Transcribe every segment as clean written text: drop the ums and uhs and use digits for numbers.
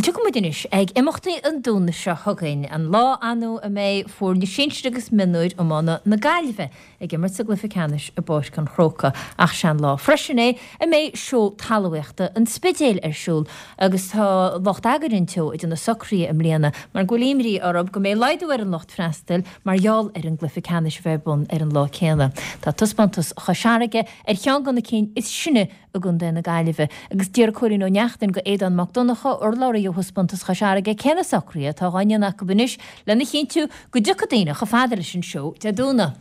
Tiocfaidh muid anois ag imeachtaí an Domhnaigh seo chugainn, an lá anú a mbeidh foirne sinsir agus mionúir iomána na Gaillimhe ag imirt sa gcluiche ceannais i bPáirc an Chrócaigh. Ach sé'n lá freisin é a mbeidh Seó Talmhaíochta an Spidéil ar siúl agus tá lucht eagair an tseó ag déanamh socruithe i mbliana mar go bhfuil imní orthu go mbeidh laghdú ar an lucht freastail mar gheall ar an gcluiche ceannais a bheith ar bun ar an lá céanna. Tá taispeántas Chois Fharraige ar cheann de na cinn is sine i gContae na Gaillimhe. Agus d'iarr Cóilín Ó Neachtain go Aodán Mac Donncha, urlabhraí ó Thaispeántas Chois Fharraige, cé na socruithe atá dhá ndéanamh acu anois lena chinntiú go dtiocfaidh daoine chomh fada leis an seó Dé Domhnaigh.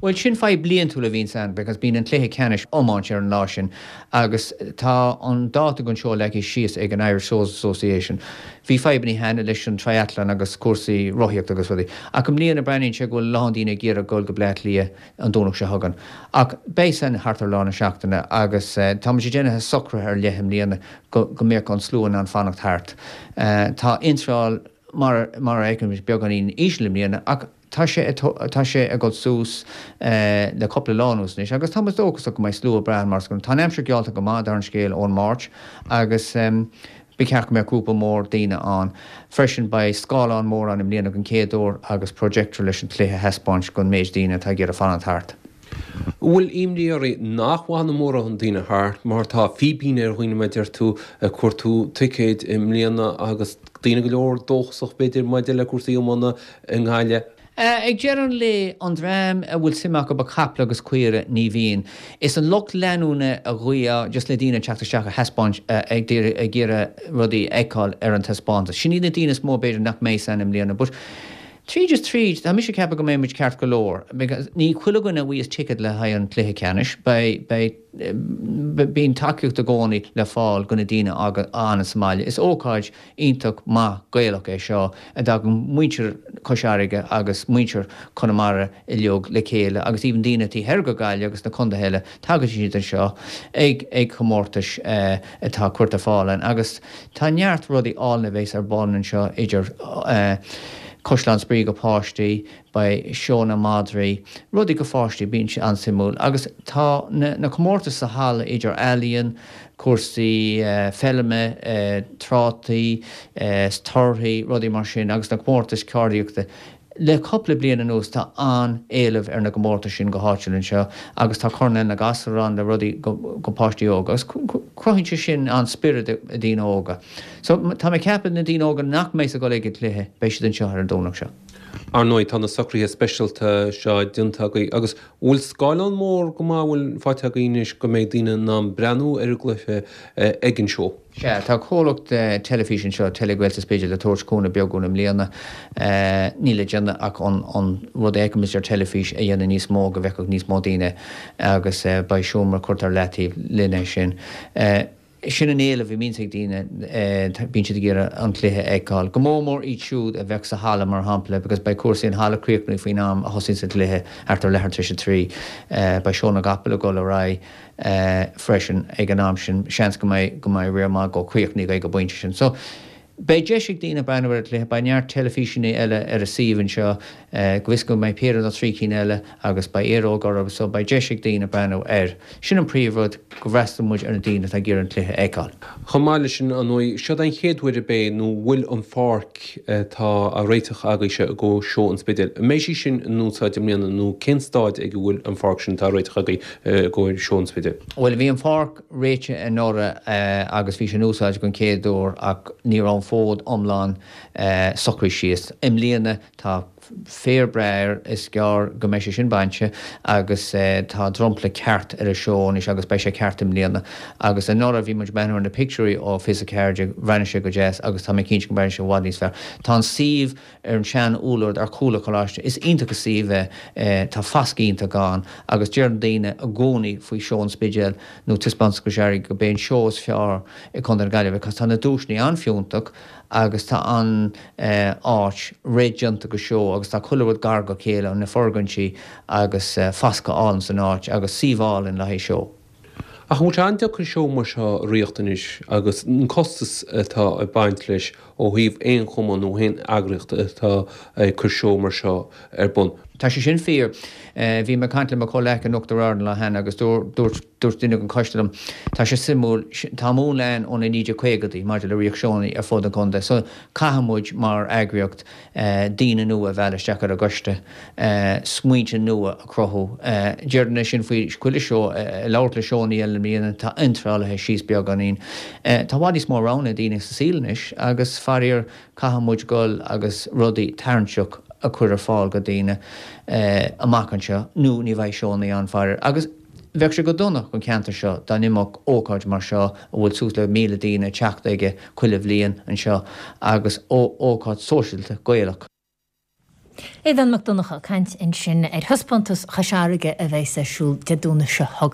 Bhuel, sin fadhb bliantúil a bhíonns ann because bíonn an cluiche ceannais iomáint ar an lá sin agus tá an dáta don seó leagtha síos ag an Irish Shows Association. Bhí fadhbannaí cheana leis an triathlon agus cúrsaí rothaíochta agus rudaí ach i mbliana breathnaíonn sé go bhfuil a lán daoine ag iarraidh dul go Bleá Cliath an Domhnach seo chugainn. Ach beidh san thart ar lár na seachtaine agus tá muid ag déanamh socruithe ar leith i mbliana go go mbeadh an slua in ann fanacht thart. Tá iontráil mar mar a fheicimid beagáinín íseal i mbliana ach tá sé tá sé ag dul suas le cúpla lá anuas anois agus tá muid dóchasach go mbeidh slua breá ann mar is tá an aimsir geallta go maith dar an scéal ón Máirt agus Ba cheart go mbeadh grúpa mór daoine ann. Freisin beidh scáileán mór ann i mbliana den chéad uair agus projector leis an cluiche a thaispeáint don méid daoine atá ag iarraidh fanacht thart. An bhfuil imní oraibh nach bhfanfaidh mórán daoine thart mar tá fíbín ar dhaoine mar a deir tú ag cuartú ticéid i mbliana agus daoine go leor dóchasach b'fhéidir maidir le cúrsaí iomána i nGaillimh. Ag deireadh an lae, an dream a bhfuil suim acu i gcaiple agus caoire, ní bhíonn. Is an lucht leanúna a ghuí just le daoine teacht isteach a thaispeáint, ag iarraidh rudaí a fheiceáil ar an taispeántas. Sin iad na daoine is mó b'fhéidir nach mbeidh ann i mbliana. But tríd is tríd, tá mise ag ceapadh go mbeidh muid ceart go leor. Because ní chuile dhuine a bhfuigheas ticket le haghaidh an chluiche ceannais. Beidh, beidh, bíonn tacaíocht i gcónaí le fáil go na daoine a fhanas sa mbaile. Is ócáid iontach maith Gaelach é seo a dtagann muintir Chois Fharraige agus muintir Chonamara uilig le chéile agus even daoine taobh thoir go Gaillimh agus na contaetha eile, tagann siad anseo ag ag comórtais atá curtha ar fáil ann agus tá neart rudaí álainn a bheas ar bun anseo idir Caisleán Spraoi go páistí, Beidh seónna madraí, rudaí go pháistí, bíonn sé an-suimiúil. Agus tá na comórtais sa halla idir ealaíon, cúrsaí feilme, trátaí, torthaí, rudaí mar sin agus na comórtais ceardaíochta. Le cúpla bliain anuas tá an-éileamh ar na gcomórtais sin go háitiúil anseo agus tá Coirnéal na nGasúr ann le rudaí go páistí óga agus cruthaíonn sé sin an-spiorad i daoine óga. So tá mé ag ceapadh na daoine óga nach mbeidh ag dul ag an cluiche, beidh siad anseo ar an Domhnach seo. Ar ndóigh, tá na socruithe speisialta seo déanta agaibh agus an bhfuil scáileán mór go maith a bhfuil faighte agaibh anois go mbeidh daoine in ann breathnú ar an gcluiche ag an seó? Sea, tá comhlacht teilifíse anseo, Telegael sa Spidéal, ag tabhairt cúnamh beag dúinn i mbliana. Níl le déanamh ach an rud a fheicimid ar teilifís a dhéanamh níos mó go bhfeicfeadh níos mó daoine agus beidh seomra curtha ar leataobh lena sin. Sin an éileamh a bhíonns ag daoine, bíonn siad ag iarraidh an cluiche a fheiceáil. Go mór mór iad siúd a bheadh sa halla, mar shampla, because beidh cúrsaí an halla críochnaithe faoin am a thosaíonns an cluiche, thart ar leathuair tar éis a 3. Beidh seó na gcapall ag dul ar aghaidh freisin ag an am sin. Seans go mbeidh go mbeidh riar maith dhó críochnaithe ag an bpointe sin. So, beidh deis ag daoine breathnú ar an gcluiche. Beidh neart teilifíseanna eile ar an suíomh anseo. Go bhfios go mbeidh péire nó 3 cinn eile agus beidh aeróg orthu so beidh deis ag daoine breathnú air. Sin an príomh rud, go bhfreastalóidh muid ar na daoine atá ag iarraidh an cluiche a fheiceáil. Chomh maith leis sin, ar ndóigh, seod é an chéad uair ab é nó bhfuil an pháirc atá á réiteach agaibhse i gcomhair seó an Spidéil, an mbeidh sí sin in úsáid i mbliana nó cén staid ag a bhfuil an pháirc sin atá á réiteach agaibh i gcomhair seó an Spidéil? Bhuel, bhí an pháirc réitithe anuraidh agus bhí sé in úsáid den chéad uair ach ní raibh an fód iomlán socraithe síos. I mbliana tá féar breá air, is gearr go mbeidh sé sin bainte agus tá dromchla ceart ar an seó anois agus beidh sé ceart i mbliana. Agus anuraidh bhí muid ag breathnú ar na pictiúirí ó 24, bhreathnaigh sé go deas agus tá mé cinnte go mbreathnóidh sé i bhfad níos fearr. Tá an suíomh ar an sean úllord ar chúl an choláiste, is iontach an suíomh é, tá fascadh iontach ann agus deireann daoine i gcónaí faoi Seó an Spidéil nó Taispeántas Chois Fharraige go b'é an seó is fearr i gContae na Gaillimhe cos tá na duaiseanna an-fhiúntach agus tá an áit réidh déanta go seó agus tá chuile rud gar go chéile, na foirgintí agus fascadh álainn san áit agus suíomh álainn le haghaidh seó. Ach an bhfuil sé an-deacair seó mar seo a reáchtáil anois agus an costas atá ag baint leis ó thaobh aon chumann nó aon eagraíocht atá ag cur seó mar seo ar bun? Tá sé sin fíor. Bhí mé ag caint le mo chomhleacaí in Uachtar Ard an lá cheana agus dúirt dúirt duine den choiste liom, tá sé suimiúil, tá múnla ann ó na 1950idí maidir le ríocht seónna ar fud an chontae so caithfidh muid mar eagraíocht daoine nua a mhealladh isteach ar an gcoiste, smaointe nua a chruthú. Déarfainn é sin faoi chuile seó, ag labhairt le seónna eile i mbliana, tá iontrálaithe síos beagáinín. Tá i bhfad níos mó roghanna ag daoine sa saol anois agus faraor caithfidh muid dul agus rudaí tarraingteach a chur ar fáil go daoine amach anseo nó ní bheidh seónna ann faraor. Agus bheadh sé go dona don cheantar seo dá n-imeodh ócáid mar seo a bhfuil suas le 1,000 daoine ag teacht aige chuile bhliain anseo agus ócáid sóisialta Gaelach. Aodhán Mac Donncha ag caint ansin ar thaispeántas Chois Fharraige a bheas ar siúl Dé Domhnaigh seo chugainn.